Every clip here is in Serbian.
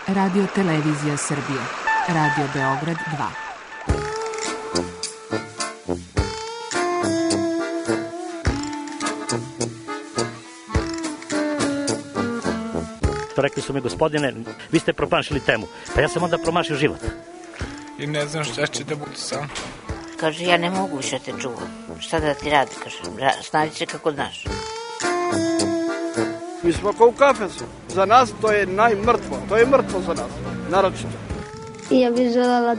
Radio Televizija Srbije. Radio Beograd 2. Rekli su mi, gospodine, vi ste promašili temu. Pa ja sam onda promašio život. I ne znam šta će da bude sam. Kaže, ja ne mogu više te čuvam. Šta da ti radi, kaže, snađi se kako znaš. Mi smo kao u kafesu. Za nas to je najmrtvo. To je mrtvo za nas, naročito. I ja bih želela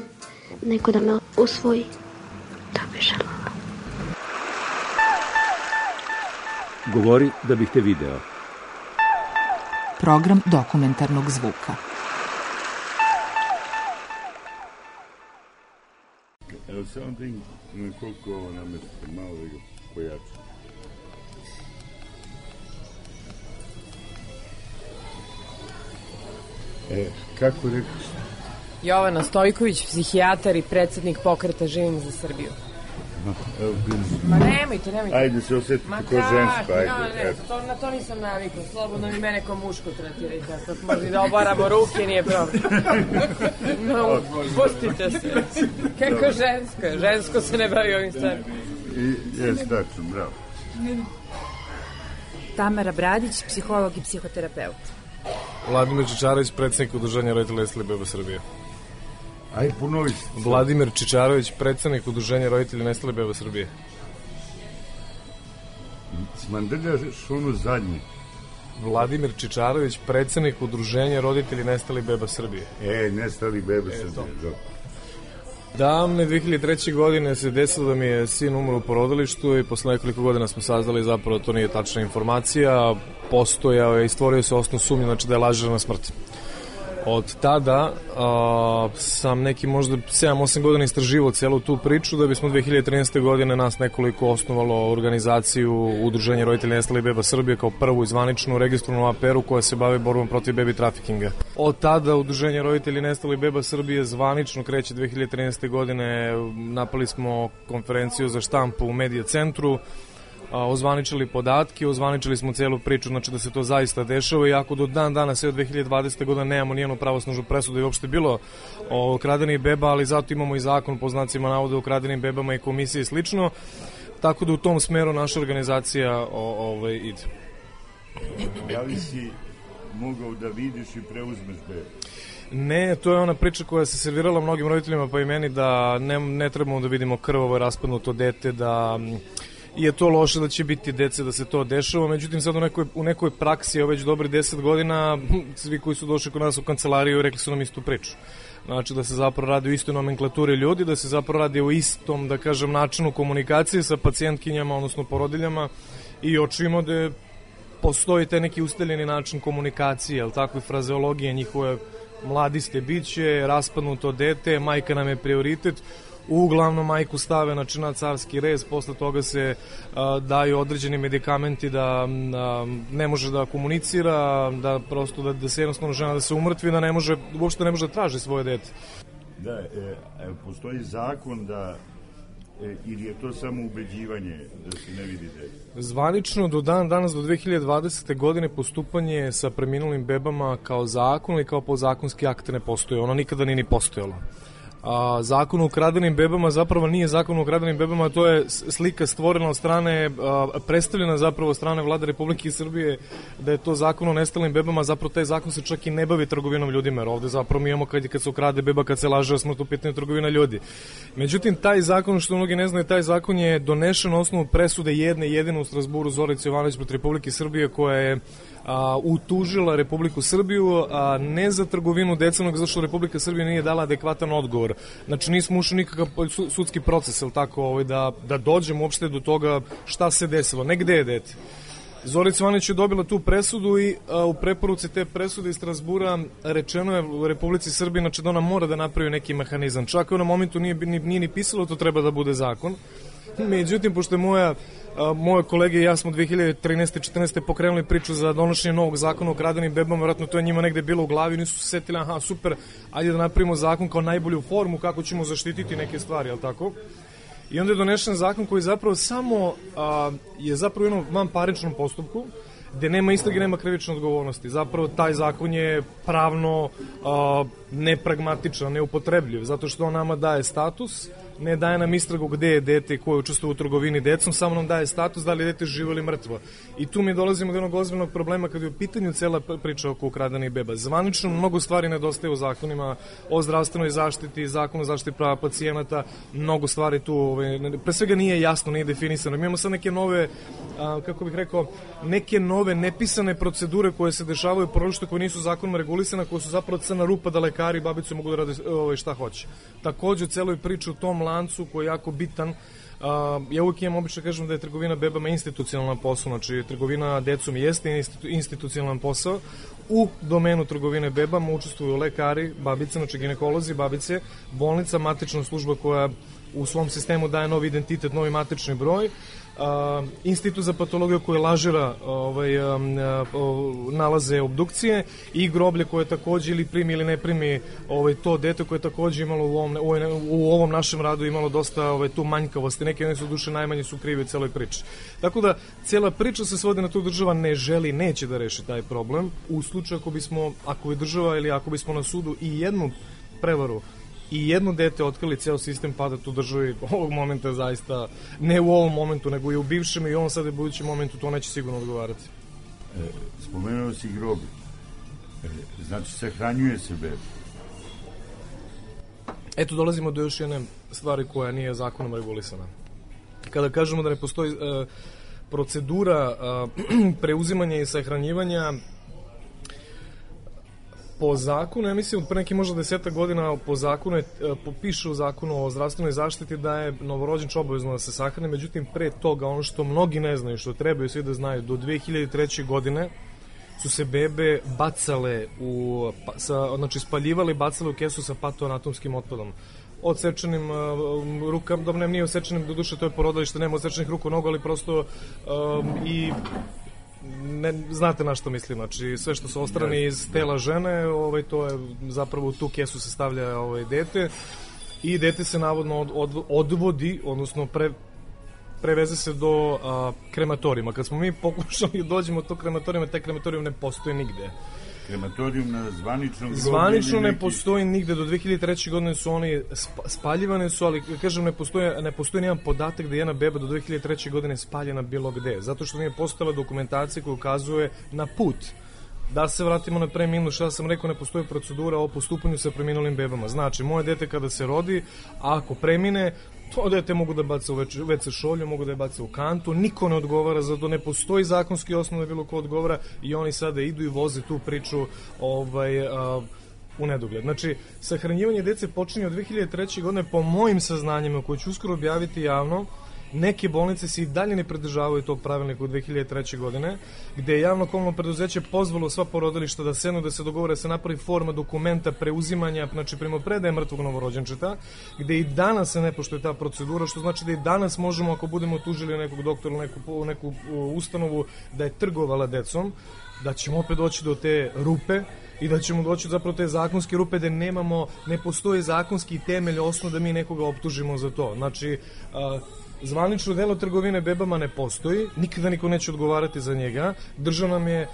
neko da me usvoji. Da bih želela. Govori da bih te video. Program dokumentarnog zvuka. Evo samo da koliko ovo namestite, malo da ga pojačam. Kako rekao ste? Jovana Stojković, psihijatar i predsednik pokreta Živim za Srbiju. Ma nemojte. Ajde se osjetiti kao žensko, ajde. Na to nisam navikla, slobodno mi mene kao muško tretirajte, ako možda da obaramo ruke, nije problem. No, pustite se. Kako žensko? Žensko se ne bavi ovim stvarima. Jes, tačno, bravo. Tamara Bradić, psiholog i psihoterapeut. Vladimir Čičarović, predsednik Udruženja roditelja nestalih beba Srbije. Aj, ponovi se. Vladimir Čičarović, predsednik Udruženja roditelja nestalih beba Srbije. Smandrljaš ono zadnje. Vladimir Čičarović, predsednik Udruženja roditelja nestalih beba Srbije. Nestalih beba Srbije, Davne 2003. godine se desilo da mi je sin umro u porodilištu i posle nekoliko godina smo saznali zapravo to nije tačna informacija, postojao je i stvorio se osnov sumnje, znači da je lažirana smrt. Od tada sam neki možda 7-8 godina istraživao celu tu priču da bismo 2013. godine nas nekoliko osnovalo organizaciju Udruženja roditelja nestalih beba Srbije kao prvu i zvaničnu registrovanu APR-u koja se bavi borbom protiv baby traffickinga. Od tada Udruženje roditelja nestalih beba Srbije zvanično kreće 2013. godine, napali smo konferenciju za štampu u Medija centru, ozvaničili podatke, ozvaničili smo celu priču, znači da se to zaista dešava, iako do dan danas, sve od 2020. godina nemamo nijednu pravosnažnu presudu i uopšte bilo o kradenih beba, ali zato imamo i zakon po znacima navoda o kradenim bebama i komisije i slično, tako da u tom smeru naša organizacija ide. Da li si mogao da vidiš i preuzmeš bebe? Ne, to je ona priča koja se servirala mnogim roditeljima pa i meni da ne trebamo da vidimo krvavo raspadnuto dete, da je to loše da će biti dece da se to dešava, međutim sad u nekoj praksi već dobri 10 godina svi koji su došli kod nas u kancelariju rekli su nam istu priču. Znači da se zapravo radi o istoj nomenklaturi ljudi, da se zapravo radi o istom, da kažem, načinu komunikacije sa pacijentkinjama, odnosno porodiljama i očimo da postoji te neki ustaljeni način komunikacije, ali tako i frazeologije njihove mladi ste biće, raspadnuto dete, majka nam je prioritet. Uglavnom majku stave na carski rez, posle toga se daju određeni medikamenti da ne može da komunicira, da prosto da se jednostavno žena da se umrtvi, da uopšte ne može da traži svoje dete. Da, postoji zakon da ili je to samo ubeđivanje da se ne vidi dete? Zvanično do danas, do 2020. godine postupanje sa preminulim bebama kao zakon ili kao podzakonski akt ne postoje, ono nikada nije ni postojalo. Zakon o ukradenim bebama zapravo nije zakon o ukradenim bebama, to je slika stvorena od strane, predstavljena zapravo od strane Vlade Republike Srbije da je to zakon o nestalim bebama, zapravo taj zakon se čak i ne bavi trgovinom ljudima, jer ovde zapravo mi imamo kad se ukrade beba, kad se laže o smrti, u pitanju trgovina ljudi. Međutim, taj zakon, što mnogi ne znaju, taj zakon je donešen na osnovu presude jedine u Strazburu Zorice Jovanović protiv Republike Srbije koja je utužila Republiku Srbiju, ne za trgovinu decenog, zato što Republika Srbija nije dala adekvatan odgovor. Znači nismo ušli nikakav sudski proces, ili tako, da dođemo uopšte do toga šta se desilo, ne gde je dete. Zorica Jovanović je dobila tu presudu i u preporuci te presude iz Strazbura rečeno je u Republici Srbiji znači da ona mora da napravi neki mehanizam. Čak u onom momentu nije ni pisalo to treba da bude zakon. Međutim, pošto je moje kolege i ja smo 2013-14. pokrenuli priču za donošenje novog zakona o kradenim bebama, vjerojatno to je njima negde bilo u glavi, nisu se setili, aha, super, ajde da napravimo zakon kao najbolju formu kako ćemo zaštititi neke stvari, jel tako? I onda je donešen zakon koji zapravo samo je zapravo u jednom vanparničnom postupku gde nema istrage, nema krivične odgovornosti. Zapravo taj zakon je pravno nepragmatičan, neupotrebljiv, zato što on nama daje status, ne daje nam istragu gde je dete koje učestvuje u trgovini decom, samo nam daje status da li je dete živo ili mrtvo. I tu mi dolazimo do jednog ozbiljnog problema kada je u pitanju cela priča oko ukradenih beba. Zvanično mnogo stvari nedostaje u zakonima o zdravstvenoj zaštiti, zakonu o zaštiti prava pacijenata, mnogo stvari tu, pre svega nije jasno, nije definisano. Mi imamo sad neke nove, kako bih rekao, neke nove nepisane procedure koje se dešavaju u porodištu koje nisu zakonom regulisane, koje su zapravo crna rupa da lekari i babice mogu da rade šta hoće. Takođe u celoj priči u tom lancu koji je jako bitan, ja uvijek imam obično kažem da je trgovina bebama institucionalan posao, znači trgovina decom jeste institucionalan posao. U domenu trgovine bebama učestvuju lekari, babice, znači ginekolozi, babice, bolnica, matična služba koja u svom sistemu daje novi identitet, novi matični broj, institut za patologiju koji lažira nalaze obdukcije i groblje koje takođe ili primi ili ne primi to dete koje je takođe imalo u ovom našem radu imalo dosta tu manjkavosti, neke one su duše najmanje su krive u celoj priči. Tako da cijela priča se svodi na to država ne želi, neće da reši taj problem. U slučaju ako bi država ili ako bismo na sudu i jednu prevaru i jedno dete otkrili, ceo sistem pada tu državi ovog momenta zaista, ne u ovom momentu, nego i u bivšem i ovom sada i budućem momentu, to neće sigurno odgovarati. Spomenuo si groblje. Znači, sahranjuje se beba. Eto, dolazimo do još jedne stvari koja nije zakonom regulisana. Kada kažemo da ne postoji procedura preuzimanja i sahranjivanja, po zakonu, ja mislim, pre neki možda 10 godina po zakonu piše u zakonu o zdravstvenoj zaštiti da je novorođenče obavezno da se sahrani, međutim pre toga ono što mnogi ne znaju, što trebaju svi da znaju, do 2003. godine su se bebe bacale znači spaljivali, bacale u kesu sa patoanatomskim otpadom. Odsečenim rukama, dobro, nije odsečenim, do duše to je porodilište, nema odsečenih ruku, nogu, ali prosto i znate na što mislim, znači sve što su ostrani iz tela žene, to je zapravo u tu kesu se stavlja dete i dete se navodno odvodi, odnosno preveze se do krematorijuma. Kad smo mi pokušali da dođemo do tog krematorijuma, taj krematorijum ne postoji nigde. Krematorijum na zvaničnom groblju? Zvanično ne postoji nigde, do 2003. godine su oni spaljivane su, ali kažem ne postoji nijedan podatak da je jedna beba do 2003. godine spaljena bilo gde, zato što nije postojala dokumentacija koja ukazuje na put. Da se vratimo na preminulu, što sam rekao, ne postoji procedura o postupanju sa preminulim bebama. Znači, moje dete kada se rodi, ako premine, to dete mogu da baca u WC šolju, mogu da je baca u kantu, niko ne odgovara, zato ne postoji zakonski osnov da bilo ko odgovara i oni sada idu i voze tu priču u nedogled. Znači, sahranjivanje dece počinje od 2003. godine po mojim saznanjima, koje ću uskoro objaviti javno. Neke bolnice se i dalje ne pridržavaju tog pravilnika u 2003. godine, gde je javno komunalno preduzeće pozvalo sva porodilišta da sednu, da se dogovore, da se napravi forma dokumenta preuzimanja, znači primopredaje mrtvog novorođenčeta, gde i danas se ne poštuje ta procedura, što znači da i danas možemo, ako budemo tužili nekog doktora ili neku ustanovu da je trgovala decom, da ćemo opet doći do te rupe i da ćemo doći zapravo te zakonske rupe da ne postoje zakonski temelj, osnov da mi nekoga optužimo za to. Znači, zvanično delo trgovine bebama ne postoji, nikada niko neće odgovarati za njega. Država nam je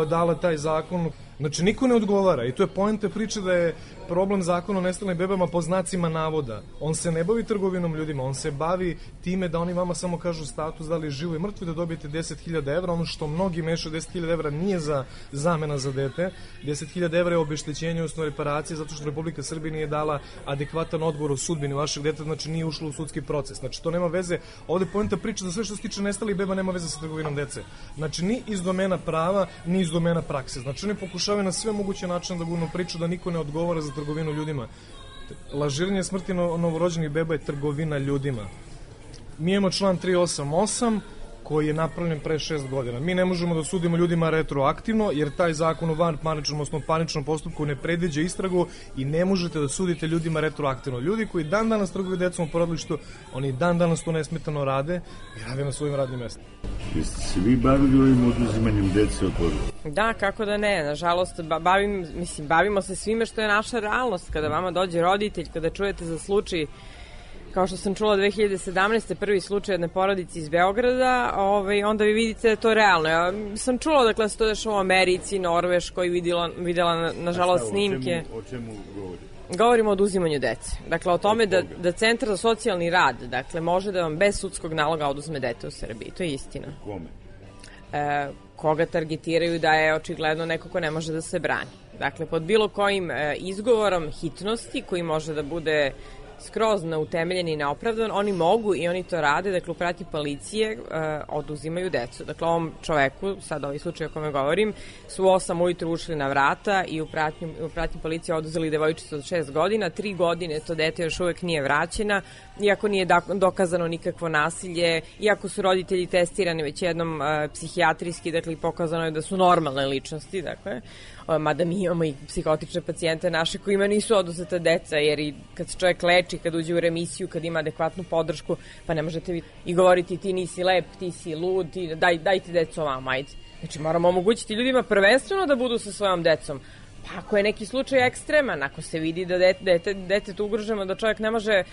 dala taj zakon, znači niko ne odgovara i to je poenta priče da je problem zakona o nestalim bebama po znacima navoda. On se ne bavi trgovinom ljudima, on se bavi time da oni vama samo kažu status da li je živo i mrtvo, da dobijete 10.000 evra, ono što mnogi mešaju, 10.000 evra nije za zamena za dete, 10.000 evra je obeštećenje, odnosno reparacije, zato što Republika Srbija nije dala adekvatan odgovor o sudbini vašeg deteta, znači nije ušlo u sudski proces. Znači to nema veze, ovde poenta priča da sve što se tiče nestalih beba nema veze sa trgovinom dece. Znači ni iz domena prava, ni iz domena prakse. Znači oni pokušavaju na sve moguće načine da gurnu priču da niko ne odgovara za trgovinu ljudima. Lažiranje smrti novorođenih beba je trgovina ljudima. Mi imamo član 388 koji je napravljen pre 6 godina. Mi ne možemo da sudimo ljudima retroaktivno, jer taj zakon o vanparničnom, odnosno parničnom postupku ne predviđa istragu i ne možete da sudite ljudima retroaktivno. Ljudi koji dan danas trguju decom u porodilištu, oni dan danas to nesmetano rade i rade na svojim radnim mestima. Jeste se vi bavili ovim oduzimanjem dece od porodilišta? Da, kako da ne. Nažalost, bavimo se svime što je naša realnost. Kada vama dođe roditelj, kada čujete za slučaj kao što sam čula 2017. prvi slučaj jedne porodice iz Beograda, onda vi vidite da je to realno. Ja sam čula dakle se to dešava u Americi, Norveškoj, videla nažalost snimke. O čemu govori? Govorimo o oduzimanju dece. Dakle, o tome da Centar za socijalni rad, dakle, može da vam bez sudskog naloga oduzme dete u Srbiji. To je istina. Kome? Koga targetiraju da je očigledno neko ko ne može da se brani. Dakle, pod bilo kojim izgovorom hitnosti koji može da bude skroz neutemeljen i neopravdan, oni mogu i oni to rade, dakle u pratnji policije oduzimaju decu. Dakle, ovom čoveku, sad ovaj slučaj o kome govorim, su 8 ujutru ušli na vrata i u pratnji policije oduzeli devojčicu od 6 godina, 3 godine to dete još uvek nije vraćena, iako nije dokazano nikakvo nasilje, iako su roditelji testirani već jednom psihijatrijski, dakle pokazano je da su normalne ličnosti, dakle, mada mi imamo i psihotične pacijente naše kojima nisu oduzeta deca, jer i kad se čovjek leči, kad uđe u remisiju, kad ima adekvatnu podršku, pa ne možete vi i govoriti ti nisi lep, ti si lud, daj ti decu ovamo, ajde. Znači moramo omogućiti ljudima prvenstveno da budu sa svojom decom. Pa ako je neki slučaj ekstreman, ako se vidi da detetu ugroženo, da čovjek ne može,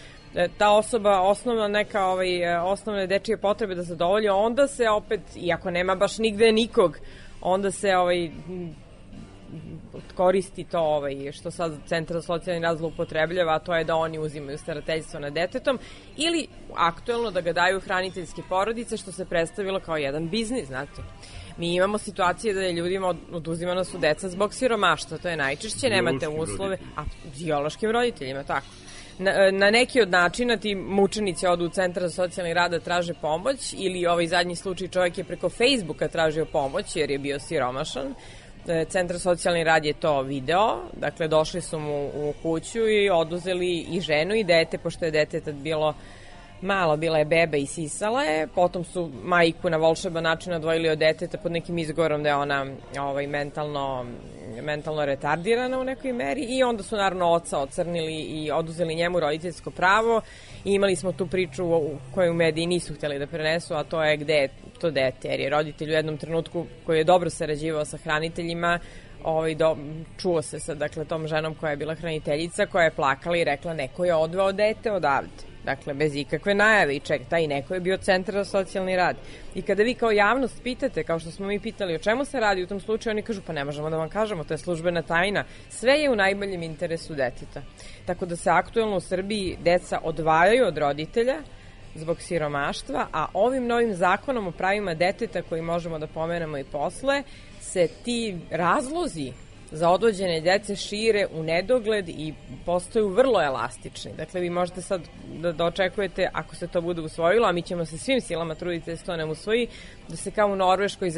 ta osoba osnovne dečije potrebe da zadovolji, onda se opet, iako nema baš nigde nikog, onda se koristi to što sad Centar za socijalni rad zloupotrebljava, a to je da oni uzimaju starateljstvo nad detetom ili aktuelno da ga daju hraniteljske porodice, što se predstavilo kao jedan biznis, znate. Mi imamo situacije da je ljudima oduzimana su deca zbog siromaštva, to je najčešće, nemate uslove, a biološkim roditeljima, tako. Na neki od načina ti mučenici odu u Centar za socijalni rad da traže pomoć ili ovaj zadnji slučaj čovjek je preko Facebooka tražio pomoć jer je bio siromašan. Centar za socijalni rad je to video, dakle došli su mu u kuću i oduzeli i ženu i dete, pošto je dete tad bilo malo, bila je beba i sisala je, potom su majku na volšeban način odvojili od deteta pod nekim izgovorom da je ona mentalno retardirana u nekoj meri i onda su naravno oca ocrnili i oduzeli njemu roditeljsko pravo i imali smo tu priču koju mediji nisu htjeli da prenesu, a to je gde je to dete, jer je roditelj u jednom trenutku koji je dobro sarađivao sa hraniteljima, čuo se sa tom ženom koja je bila hraniteljica, koja je plakala i rekla neko je odveo dete odavde. Dakle, bez ikakve najave i ček, taj neko je bio Centar za socijalni rad. I kada vi kao javnost pitate, kao što smo mi pitali o čemu se radi u tom slučaju, oni kažu pa ne možemo da vam kažemo, to je službena tajna. Sve je u najboljem interesu deteta. Tako da se aktuelno u Srbiji deca odvajaju od roditelja zbog siromaštva, a ovim novim zakonom o pravima deteta koji možemo da pomenemo i posle, se ti razlozi za odvođenje dece šire u nedogled i postaju vrlo elastični. Dakle, vi možete sad da očekujete, ako se to bude usvojilo, a mi ćemo se svim silama truditi da se to ne usvoji, da se kao u Norveškoj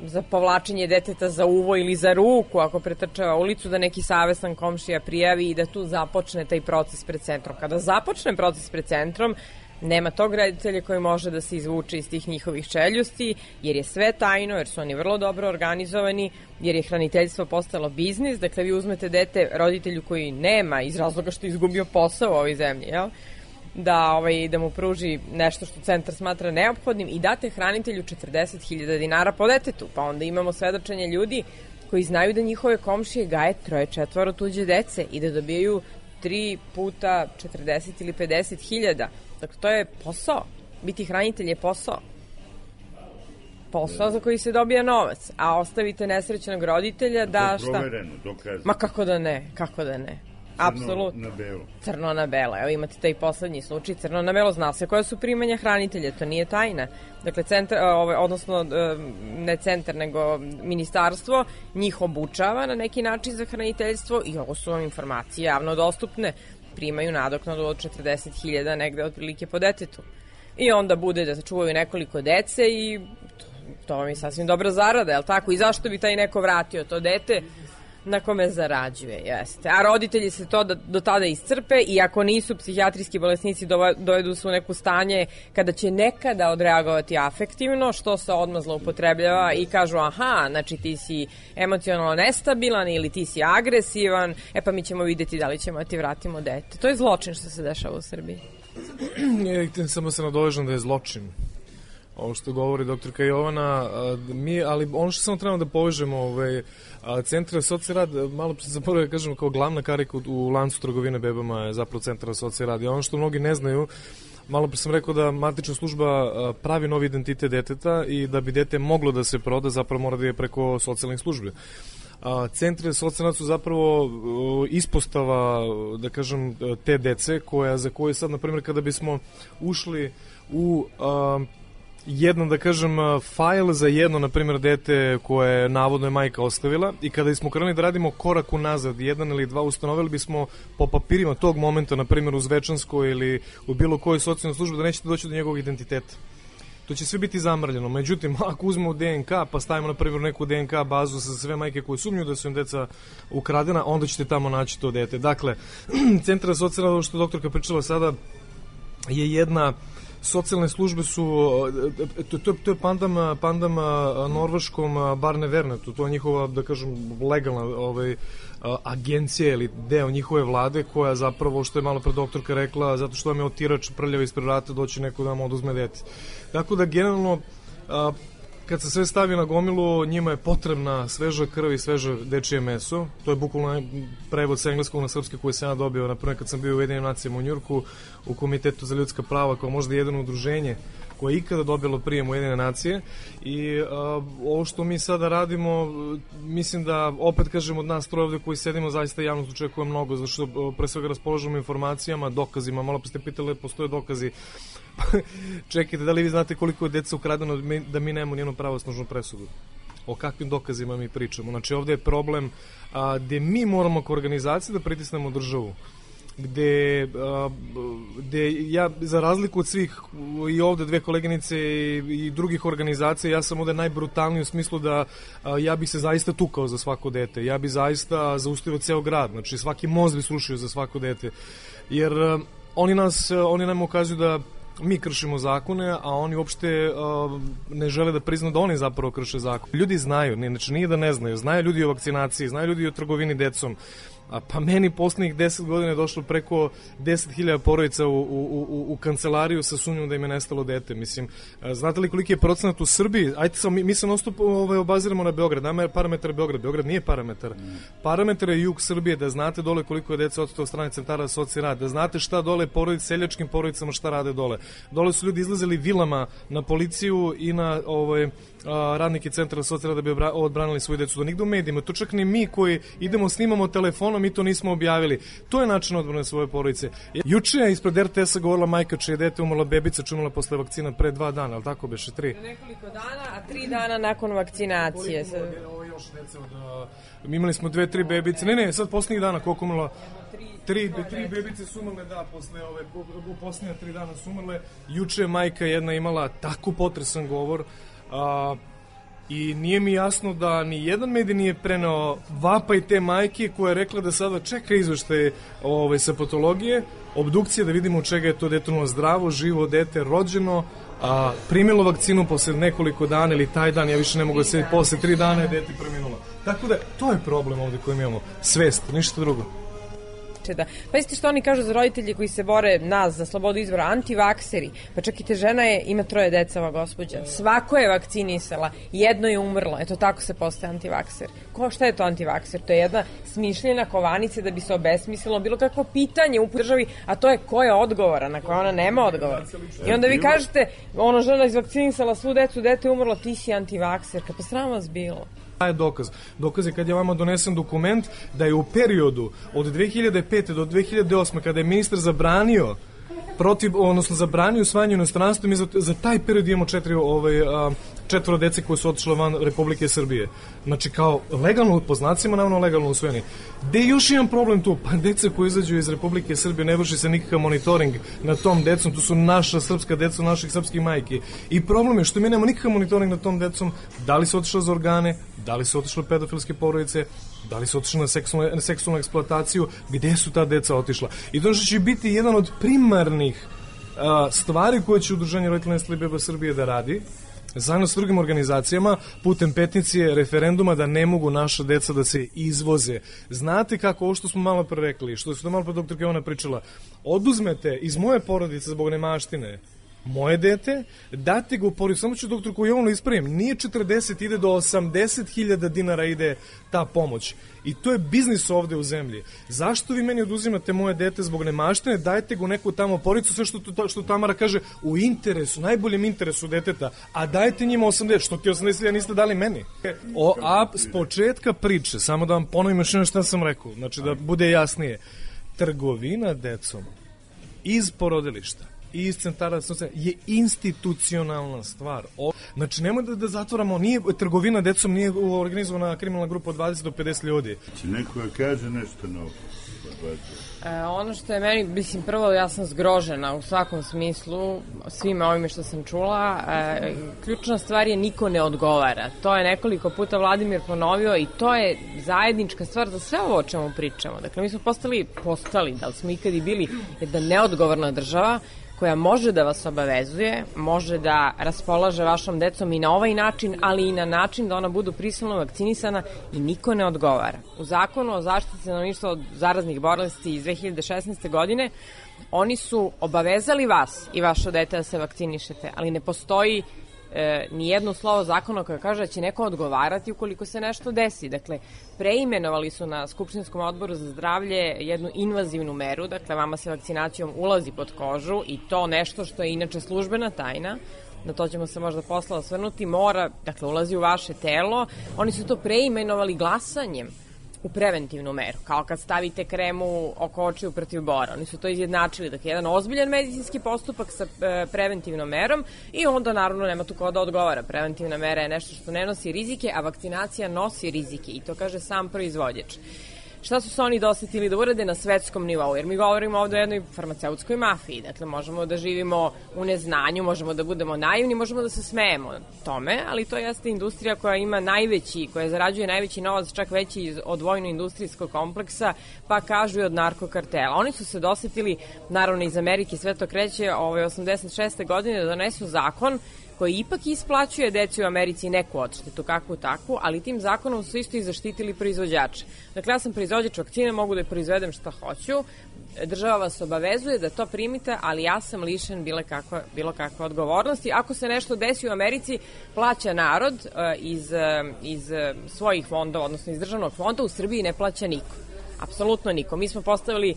za povlačenje deteta za uvo ili za ruku, ako pretrčava ulicu, da neki savestan komšija prijavi i da tu započne taj proces pred centrom. Kada započne proces pred centrom, nema tog roditelja koji može da se izvuče iz tih njihovih čeljusti, jer je sve tajno, jer su oni vrlo dobro organizovani, jer je hraniteljstvo postalo biznis. Dakle, vi uzmete dete roditelju koji nema iz razloga što je izgubio posao u ovoj zemlji, jel? Da mu pruži nešto što centar smatra neophodnim i date hranitelju 40.000 dinara po detetu. Pa onda imamo svedočenje ljudi koji znaju da njihove komšije gaje 3-4 tuđe dece i da dobijaju 3 puta 40 ili 50.000. Dakle, to je posao. Biti hranitelj je posao. Posao za koji se dobija novac. A ostavite nesrećnog roditelja da šta? Provereno, dokazano. Ma kako da ne, kako da ne. Apsolutno. Crno na belo. Crno na belo. Evo imate taj poslednji slučaj. Crno na belo, zna se koja su primanja hranitelja. To nije tajna. Dakle, centar, odnosno ne centar, nego ministarstvo njih obučava na neki način za hraniteljstvo i ovo su vam informacije javno dostupne. Primaju nadoknadu od 40.000 negde otprilike po detetu. I onda bude da se čuvaju nekoliko dece i to vam je sasvim dobra zarada, je li tako? I zašto bi taj neko vratio to dete na kome zarađuje, jeste. A roditelji se to do tada iscrpe i ako nisu psihijatrijski bolesnici dovedu se u neku stanje kada će nekada odreagovati afektivno, što se odmah zloupotrebljava i kažu aha, znači ti si emocionalno nestabilan ili ti si agresivan, pa mi ćemo vidjeti da li ćemo da ti vratimo dete. To je zločin što se dešava u Srbiji. Samo se nadovežem da je zločin. ovo što govori doktorka Jovana, ali ono što samo trebamo da povežemo, centar za socijalni rad, malo se zapravo kažemo kao glavna karika u lancu trgovine bebama je zapravo centar za socijalni rad. I ono što mnogi ne znaju, malo pre sam rekao da matična služba pravi novi identitet deteta i da bi dete moglo da se proda, zapravo mora da je preko socijalnih službi. Centri za socijalni rad su zapravo ispostava, da kažem, te dece za koje sad, na primjer, kada bismo ušli u jedan, da kažem, fajl za jedno, na primjer, dete koje navodno je majka ostavila i kada smo krenuli da radimo korak unazad, 1 ili 2, ustanovili bismo po papirima tog momenta, na primjer u Zvečanskoj ili u bilo kojoj socijalnoj službi, da nećete doći do njegovog identiteta. To će sve biti zamrljeno. Međutim, ako uzmemo DNK pa stavimo na primjer neku DNK bazu sa sve majke koje sumnjuju da su im deca ukradena, onda ćete tamo naći to dete. Dakle, centar za socijalni rad, što doktorka pričala sada, je jedna, socijalne službe su, to je pandam norveškom Barnevernetu, to je njihova, da kažem, legalna agencija ili deo njihove vlade koja zapravo, što je malo pre doktorka rekla, zato što vam je otirač prljava ispred vrata, doći neko da vam oduzme dete. Tako da generalno, kad se sve stavi na gomilu, njima je potrebna sveža krv i sveže dečije meso. To je bukvalno prevod sa engleskog na srpski koji sam ja dobio, naprimjer kad sam bio u Ujedinjenim nacijama u Njujorku, u Komitetu za ljudska prava, kao možda jedno udruženje koje je ikada dobilo prijem Ujedinjene nacije. I ovo što mi sada radimo, mislim da, opet kažem, od nas troje ovde koji sedimo, zaista javnost očekuje mnogo, zato što pre svega raspolažemo informacijama, dokazima. Malo pa ste pitali, postoje dokazi. Čekajte, da li vi znate koliko je deca ukradeno da mi nemamo nijednu pravosnažnu presudu? O kakvim dokazima mi pričamo? Znači, ovde je problem gde mi moramo kao organizacija da pritisnemo državu. Gde ja, za razliku od svih i ovde dve koleginice i drugih organizacija, ja sam ovde najbrutalniji u smislu da ja bi se zaista tukao za svako dete. Ja bi zaista zaustavio ceo grad. Znači, svaki most bi srušio za svako dete. Jer oni nam ukazuju da mi kršimo zakone, a oni uopšte ne žele da priznaju da oni zapravo krše zakon. Ljudi znaju, znači nije da ne znaju, znaju ljudi o vakcinaciji, znaju ljudi o trgovini decom. Pa meni poslednjih 10 godina je došlo preko 10.000 porodica u kancelariju sa sumnjom da im je nestalo dete. Mislim, znate li koliki je procenat u Srbiji? Ajde samo, mi se non-stop obaziramo na Beograd. Nama je parametar Beograd. Beograd nije parametar. Parametar je jug Srbije, da znate dole koliko je deca oteto od strane centara za socijalni rad, da znate šta dole porodice, seljačkim porodicama šta rade dole. Dole su ljudi izlazili vilama na policiju i na radnike centra za socijalni rad da bi odbranili svoju decu. To nigde u medijima. To čak ni mi koji idemo snimamo telefonom, mi to nismo objavili. To je način odbrane svoje porodice. Juče je ispred RTS-a govorila majka čije dete umrla, bebica čumila posle vakcina pre 2 dana, ali tako beše 3? Nekoliko dana, a 3 dana nakon vakcinacije. Ovo još deca mi imali smo 2-3 bebice. Ne, sad poslednjih dana koliko umrla? 3 bebice su umrle, da, posle u poslednja 3 dana su umrle. Juče majka jedna imala tako potresan govor, i nije mi jasno da ni jedan medij nije preneo vapaj te majke koja je rekla da sada čeka izveštaj sa patologije, obdukcije, da vidimo od čega je to dete zdravo, živo dete, rođeno, primilo vakcinu posle nekoliko dana ili taj dan, ja više ne mogu da se posle 3 dana je dete preminulo. Tako da, to je problem ovde koji mi imamo. Svest, ništa drugo. Pa isti što oni kažu za roditelji koji se bore nas za slobodu izbora, antivakseri. Pa čak i te žena ima 3 deca, ova gospođa. Svako je vakcinisala, jedno je umrlo. Eto tako se postaje antivakser. Šta je to antivakser? To je jedna smišljena kovanica da bi se obesmislilo bilo kakvo pitanje u državi, a to je ko je odgovoran, na koje ona nema odgovor. I onda vi kažete, žena izvakcinisala svu decu, dete je umrlo, ti si antivakserka. Pa sram vas bilo. Je dokaz. Dokaz je kad je vama donesen dokument da je u periodu od 2005. do 2008. kada je ministar zabranio zabranio usvajanje u inostranstvu, mi za taj period imamo 4 dece koje su otišle van Republike Srbije. Znači kao legalno, po znacima naravno legalno usvojeni. Gde je još jedan problem tu? Pa deca koji izađu iz Republike Srbije, ne vrši se nikakav monitoring na tom decom, to su naša srpska deca, naših srpskih majki. I problem je što mi nemamo nikakav monitoring na tom decom, da li su otišle za organe, da li su otišle pedofilske porodice, da li su otišle na seksualnu eksploataciju, gde su ta deca otišla. I to što će biti jedan od primarnih stvari koje će Udruženje roditelja nestalih beba Srbije da radi, zajedno s drugim organizacijama, putem peticije, referenduma, da ne mogu naša deca da se izvoze. Znate kako, ovo što smo malo pre rekli, što je malo pre doktorka Jovana pričala, oduzmete iz moje porodice zbog nemaštine moje dete, date ga u porodicu, samo ću doktorku Jovanu ispravim, nije 40, ide do 80.000 dinara ide ta pomoć. I to je biznis ovde u zemlji. Zašto vi meni oduzimate moje dete zbog nemaštine, dajte ga u neku tamo porodicu, sve što Tamara kaže, u interesu, najboljem interesu deteta, a dajte njima 80, što ti 80.000 niste dali meni. S početka priče, samo da vam ponovim još nešto šta sam rekao, znači da bude jasnije, trgovina decom iz porodilišta i iz centara je institucionalna stvar. Znači, nemoj da zatvoramo, trgovina decom nije organizovana kriminalna grupa od 20 do 50 ljudi. Če neko kaže nešto novo? Ono što je meni, mislim, prvo ja sam zgrožena u svakom smislu svime ovime što sam čula. Ključna stvar je niko ne odgovara. To je nekoliko puta Vladimir ponovio i to je zajednička stvar za sve ovo o čemu pričamo. Dakle, mi smo postali, da li smo ikad i bili jedna neodgovorna država koja može da vas obavezuje, može da raspolaže vašom decom i na ovaj način, ali i na način da ona budu prisilno vakcinisana i niko ne odgovara. U zakonu o zaštiti stanovništva od zaraznih bolesti iz 2016. godine oni su obavezali vas i vaše dete da se vakcinišete, ali ne postoji ni jedno slovo zakona koje kaže da će neko odgovarati ukoliko se nešto desi. Dakle, preimenovali su na Skupštinskom odboru za zdravlje jednu invazivnu meru, dakle, vama se vakcinacijom ulazi pod kožu i to nešto što je inače službena tajna, na to ćemo se možda posle osvrnuti, dakle, ulazi u vaše telo. Oni su to preimenovali glasanjem u preventivnu meru, kao kad stavite kremu oko očiju protiv bora. Oni su to izjednačili, dakle, jedan ozbiljan medicinski postupak sa preventivnom merom i onda, naravno, nema tu ko da odgovara. Preventivna mera je nešto što ne nosi rizike, a vakcinacija nosi rizike i to kaže sam proizvođač. Šta su se oni dosetili da urade na svetskom nivou? Jer mi govorimo ovde o jednoj farmaceutskoj mafiji. Dakle, možemo da živimo u neznanju, možemo da budemo naivni, možemo da se smejemo tome, ali to jeste industrija koja ima koja zarađuje najveći novac, čak veći od vojno-industrijskog kompleksa, pa kažu i od narkokartela. Oni su se dosetili, naravno iz Amerike, sve to kreće 86. godine, da donesu zakon koji ipak isplaćuje deci u Americi neku odštetu, kakvu takvu, ali tim zakonom su isto i zaštitili proizvođače. Dakle, ja sam proizvođač vakcine, mogu da proizvedem šta hoću, država vas obavezuje da to primite, ali ja sam lišen bilo kakve odgovornosti. Ako se nešto desi u Americi, plaća narod iz svojih fondova, odnosno iz državnog fonda, u Srbiji ne plaća niko. Apsolutno niko. Mi smo postavili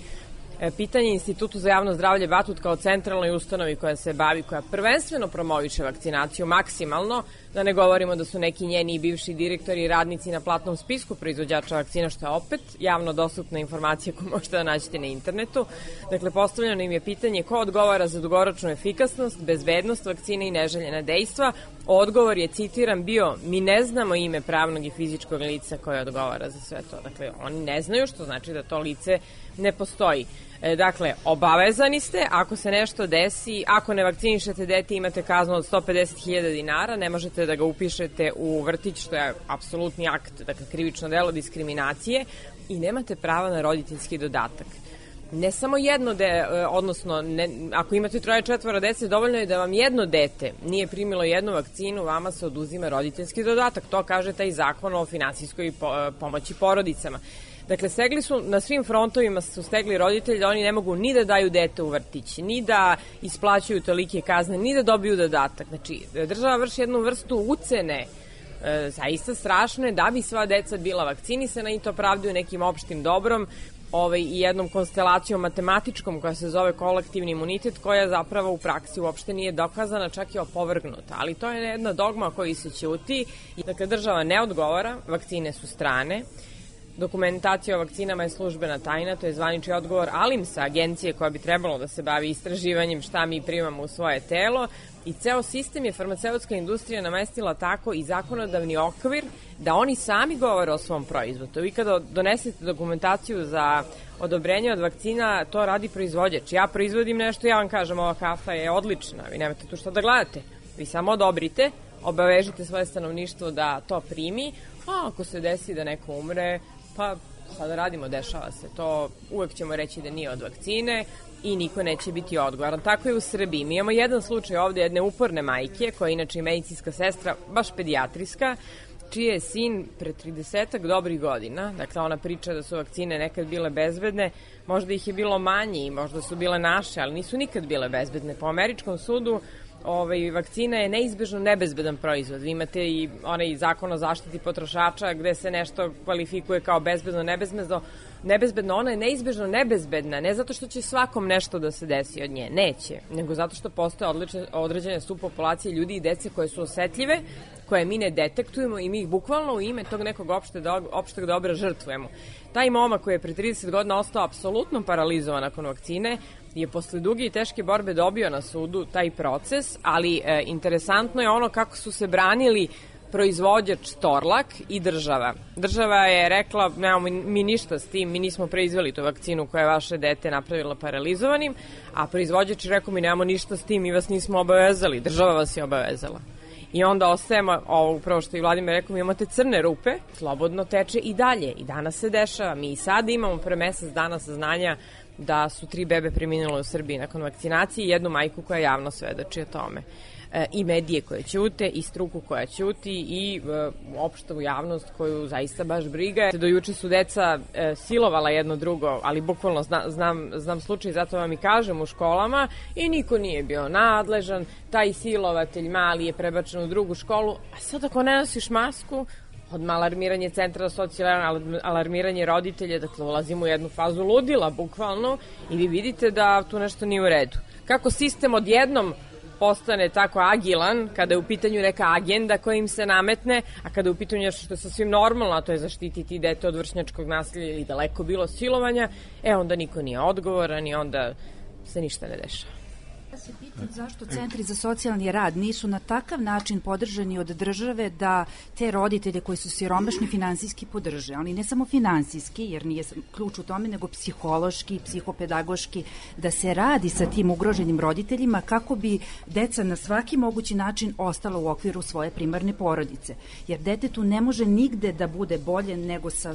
pitanje Institutu za javno zdravlje Batut kao centralnoj ustanovi koja se bavi, koja prvenstveno promoviše vakcinaciju maksimalno, da ne govorimo da su neki njeni i bivši direktori i radnici na platnom spisku proizvođača vakcina, što je opet javno dostupna informacija koju možete da nađete na internetu. Dakle, postavljeno im je pitanje ko odgovara za dugoročnu efikasnost, bezbednost vakcine i neželjena dejstva. Odgovor je, citiram, bio: mi ne znamo ime pravnog i fizičkog lica koje odgovara za sve to. Dakle, oni ne znaju, što znači da to lice ne postoji. Dakle, obavezani ste, ako se nešto desi, ako ne vakcinišete dete, imate kaznu od 150.000 dinara, ne možete da ga upišete u vrtić, što je apsolutni akt, dakle, krivično delo diskriminacije, i nemate prava na roditeljski dodatak. Ne samo jedno, odnosno, ako imate 3-4 dece, dovoljno je da vam jedno dete nije primilo jednu vakcinu, vama se oduzima roditeljski dodatak. To kaže taj zakon o finansijskoj pomoći porodicama. Dakle, stegli su, na svim frontovima su stegli roditelji, oni ne mogu ni da daju dete u vrtić, ni da isplaćuju tolike kazne, ni da dobiju dodatak. Znači, država vrši jednu vrstu ucene, zaista strašne, da bi sva deca bila vakcinisana, i to pravdaju nekim opštim dobrom i jednom konstelacijom matematičkom koja se zove kolektivni imunitet, koja zapravo u praksi uopšte nije dokazana, čak i opovrgnuta. Ali to je jedna dogma koji se ćuti. Dakle, država ne odgovara, vakcine su strane, dokumentacija o vakcinama je službena tajna, to je zvanični odgovor ALIMS-a, agencije koja bi trebalo da se bavi istraživanjem šta mi primamo u svoje telo, i ceo sistem je farmaceutska industrija namestila tako i zakonodavni okvir da oni sami govore o svom proizvodu. Vi kada donesete dokumentaciju za odobrenje od vakcina, to radi proizvođač. Ja proizvodim nešto, ja vam kažem, ova kafa je odlična, vi nemate tu šta da gledate. Vi samo odobrite, obavežite svoje stanovništvo da to primi, a ako se desi da neko umre, pa sada radimo, dešava se. To uvek ćemo reći da nije od vakcine i niko neće biti odgovoran. Tako je u Srbiji. Mi imamo jedan slučaj ovde jedne uporne majke, koja je inače i medicinska sestra, baš pedijatrijska, čiji je sin pre 30-ak dobrih godina, dakle ona priča da su vakcine nekad bile bezbedne, možda ih je bilo manje i možda su bile naše, ali nisu nikad bile bezbedne. Po američkom sudu vakcina je neizbežno nebezbedan proizvod. Vi imate i onaj zakon o zaštiti potrošača gde se nešto kvalifikuje kao bezbedno, nebezbedno, ona je neizbežno nebezbedna, ne zato što će svakom nešto da se desi od nje, neće, nego zato što postoje određene subpopulacije ljudi i dece koje su osetljive, koje mi ne detektujemo i mi ih bukvalno u ime tog nekog opšteg dobra žrtvujemo. Taj momak koji je pre 30 godina ostao apsolutno paralizovan nakon vakcine je posle duge i teške borbe dobio na sudu taj proces, ali interesantno je ono kako su se branili proizvođač Torlak i država. Država je rekla, nemamo mi ništa s tim, mi nismo proizveli tu vakcinu koja je vaše dete napravila paralizovanim, a proizvođač je rekao, mi nemamo ništa s tim, mi vas nismo obavezali, država vas je obavezala. I onda ostajemo, upravo što i Vladimir rekao, mi imate crne rupe, slobodno teče i dalje. I danas se dešava. Mi i sad imamo pre mesec dana saznanja da su 3 bebe preminule u Srbiji nakon vakcinacije i jednu majku koja javno svedoči o tome. I medije koje ćute, i struku koja ćuti, i opštavu javnost koju zaista baš briga. Do juče su deca silovala jedno drugo, ali bukvalno znam slučaj, zato vam i kažem, u školama, i niko nije bio nadležan, taj silovatelj mali je prebačen u drugu školu, a sad ako ne nosiš masku, odmah alarmiranje centra socijalne, alarmiranje roditelja, dakle ulazimo u jednu fazu ludila, bukvalno, i vi vidite da tu nešto nije u redu. Kako sistem odjednom postane tako agilan kada je u pitanju neka agenda koja im se nametne, a kada je u pitanju nešto što je sasvim normalno, a to je zaštititi dete od vršnjačkog nasilja ili daleko bilo silovanja, onda niko nije odgovoran i onda se ništa ne dešava. Ja se pitam zašto centri za socijalni rad nisu na takav način podržani od države da te roditelje koji su siromašni finansijski podrže, ali ne samo finansijski, jer nije ključ u tome, nego psihološki, psihopedagoški, da se radi sa tim ugroženim roditeljima kako bi deca na svaki mogući način ostala u okviru svoje primarne porodice. Jer detetu ne može nigde da bude bolje nego sa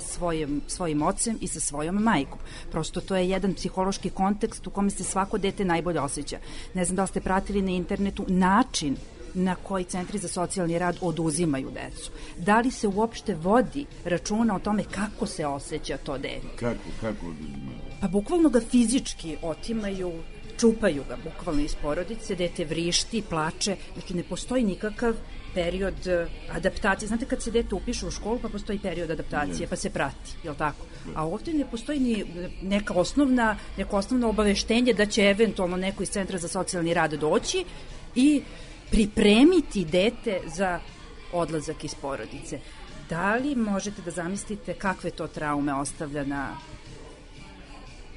svojim ocem i sa svojom majkom. Prosto to je jedan psihološki kontekst u kome se svako dete najbolje osjeća. Ne znam da li ste pratili na internetu način na koji centri za socijalni rad oduzimaju decu. Da li se uopšte vodi računa o tome kako se osjeća to dete? Kako oduzimaju? Pa bukvalno ga fizički otimaju, čupaju ga bukvalno iz porodice, dete vrišti, plače, dakle ne postoji nikakav period adaptacije. Znate kad se dete upiše u školu pa postoji period adaptacije pa se prati, je li tako? A ovdje ne postoji ni neko osnovno obaveštenje da će eventualno neko iz centra za socijalni rad doći i pripremiti dete za odlazak iz porodice. Da li možete da zamislite kakve to traume ostavlja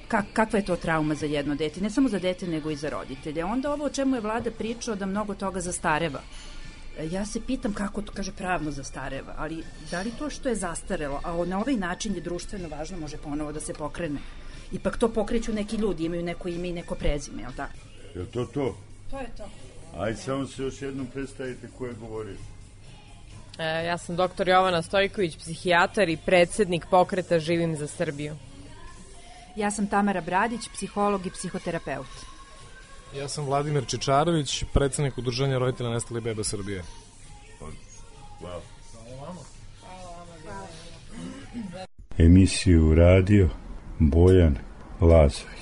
kakva je to trauma za jedno dete, ne samo za dete nego i za roditelje. Onda ovo o čemu je vlada pričao da mnogo toga zastareva. Ja se pitam kako to kaže pravno zastareva, ali da li to što je zastarelo, a na ovaj način je društveno važno, može ponovo da se pokrene? Ipak to pokreću neki ljudi, imaju neko ime i neko prezime, je li tako? Je to to? To je to. Ajde, samo se još jednom predstavite ko je govorio. Ja sam doktor Jovana Stojković, psihijatar i predsednik pokreta Živim za Srbiju. Ja sam Tamara Bradić, psiholog i psihoterapeut. Ja sam Vladimir Čečarović, predsednik Udruženja roditelja nestalih beba Srbije. Hvala. Emisiju radio Bojan Lazović.